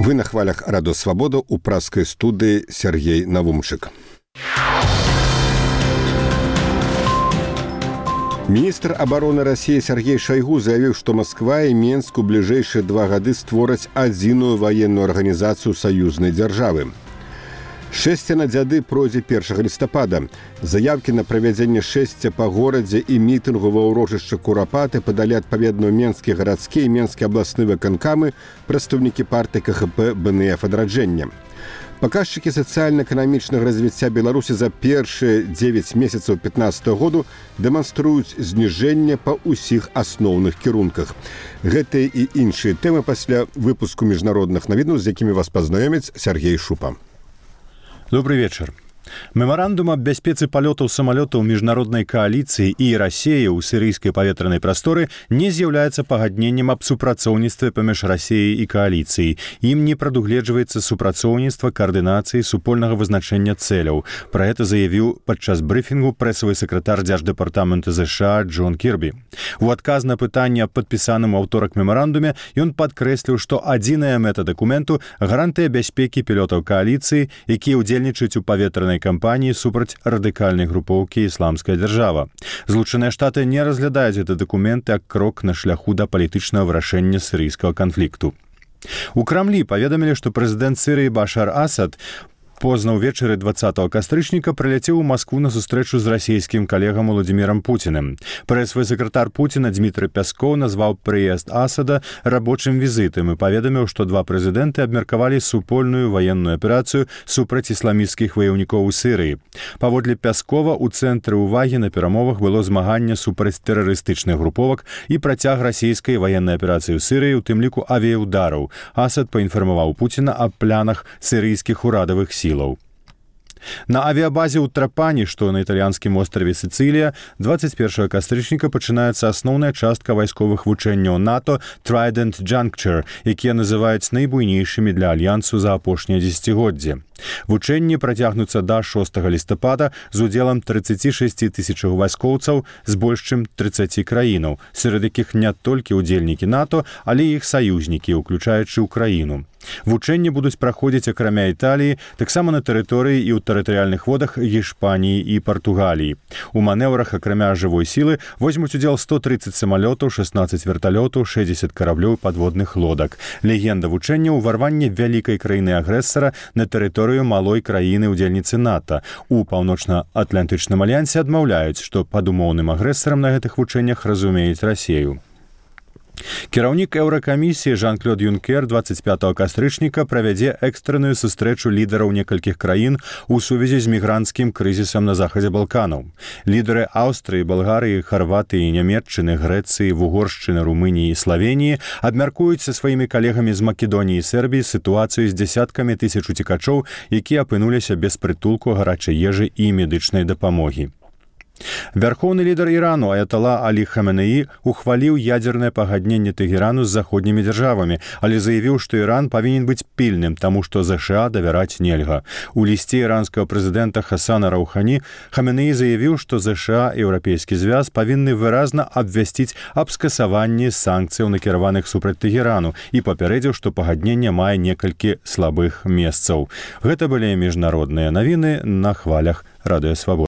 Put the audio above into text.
Вы на хвалях Радио Свобода у пражской студии Сергей Навумчик. Министр обороны России Сергей Шойгу заявил, что Москва и Минск у ближайшие 2 годы створаць адзіную военную организацию союзной державы. Шэсце на дзяды пройдзе 1 лістапада. Заявкі на правядзенне шэсця па горадзе і мітынгу ва ўрочышчы Курапаты падалі адпаведна Менскі гарадскі і Менскі абласны выканкамы, прадстаўнікі партыі КХП БНФ адраджэння. Паказчыкі сацыяльна-эканамічнага развіцця Беларусі за першыя 9 месяцаў 2015 году дэманструюць зніжэнне па ўсіх асноўных кірунках. Гэтыя і іншыя тэмы пасля выпуску міжнародных навінаў, з якімі вас пазнаёміць Сергей Шупа. Добрый вечер. Меморандум об бяспецы палётаў самалётаў міжнароднай кааліцыі і Расіі ў сірыйскай паветранай прасторы не з'яўляецца пагадненнем аб супрацоўніцтве паміж Расіяй і кааліцыяй. Ім не прадугледжваецца супрацоўніцтва, каардынацыі, супольнага вызначэння цэляў. Пра гэта заявіў падчас брыфінгу прэсавы сакратар дзярждэпартамента ЗША Джон Кірбі. У адказ на пытанне аб падпісаным у аўторак мемарандуме ён падкрэсліў, што адзіная мэта дакументу – гарантыя бяспекі пілотаў кааліцыі, якія ўдзельнічаюць у паветранай кампаніі супраць радыкальнай групоўкі «Ісламская дзяржава». Злучаныя Штаты не разглядаюць гэты дакумент як крок на шляху да палітычнага вырашэння сірыйскага канфлікту. У Крамлі паведамілі, што прэзідэнт Сірыі Башар Асад позна ўвечары 20 кастрычніка прыляцеў у Маскву на сустрэчу з расійскім калегам Уладзімірам Пуціным. Прэсавы сакратар Пуціна Дмітрый Пяскоў назваў прыезд Асада рабочым візітам і паведаміў, што 2 прэзідэнты абмеркавалі супольную ваенную аперацыю супраць ісламісцкіх ваяўнікоў у Сірыі. Паводле Пяскова, у цэнтры ўвагі на перамовах было змаганне супраць тэрарыстычных груповак і працяг расійскай ваеннай аперацыі ў Сірыі, у тым ліку авіяўдараў. Асад паінфармаваў Пуціна аб планах сірыйскіх урадавых сіл. На авіабазе ў Трапані, што на італьянскім острове Сіцылія, 21 кастрычніка пачынаецца асноўная частка вайсковых вучэнняў НАТО Trident Juncture, якія называюць найбуйнейшымі для альянсу за апошняе дзесяцігоддзе. Вучэнні працягнуцца да 6 лістапада з удзелам 36 тысячаў вайскоўцаў з больш чым 30 краінаў, сярод якіх не толькі ўдзельнікі НАТО, але і іх саюзнікі, уключаючы Украіну. Вучэнні будуць праходзіць акрамя Італіі, таксама на тэрыторыі і ў тэрытарыяльных водах Іспаніі і Партугаліі. У манеўрах акрамя жывой сілы возьмуць удзел 130 самалётаў, 16 верталётаў, 60 караблёў падводных лодак. Легенда вучэння – ўварванне вялікай краіны-агрэсара на тэрыторыю малой краіны-удзельніцы НАТО. У Паўночна-Атлантычным альянсе адмаўляюць, што пад умоўным агрэсарам на гэтых вучэннях разумеюць Расію. Кіраўнік Еўракамісіі Жан-Клод Юнкер 25 кастрычніка правядзе экстранную сустрэчу лідараў некалькіх краін у сувязі з мігранцкім крызісам на захадзе Балканаў. Лідары Аўстрыі, Балгарыі, Харватыі, Нямецчыны, Грэцыі, Вугоршчыны, Румыніі і Славеніі абмяркуюць са сваімі калегамі з Македоніі і Сербіі сітуацыю з дзесяткамі тысяч уцекачоў, якія апынуліся без прытулку, гарачай ежы і медычнай дапамогі. Вярхоўны лідар Ірану Аятала Алі Хаменеі ухваліў ядзернае пагадненне Тэгерану з заходнімі дзяржавамі, але заявіў, што Іран павінен быць пільным, таму што ЗША давяраць нельга. У лісце іранскага прэзідэнта Хасана Раухані Хаменеі заявіў, што ЗША і Еўрапейскі звяз павінны выразна абвясціць аб скасаванні санкцыяў, накіраваных супраць Тэгерану, і папярэдзіў, што пагадненне мае некалькі слабых месцаў. Гэта былі міжнародныя навіны на хвалях Радыё Свабода.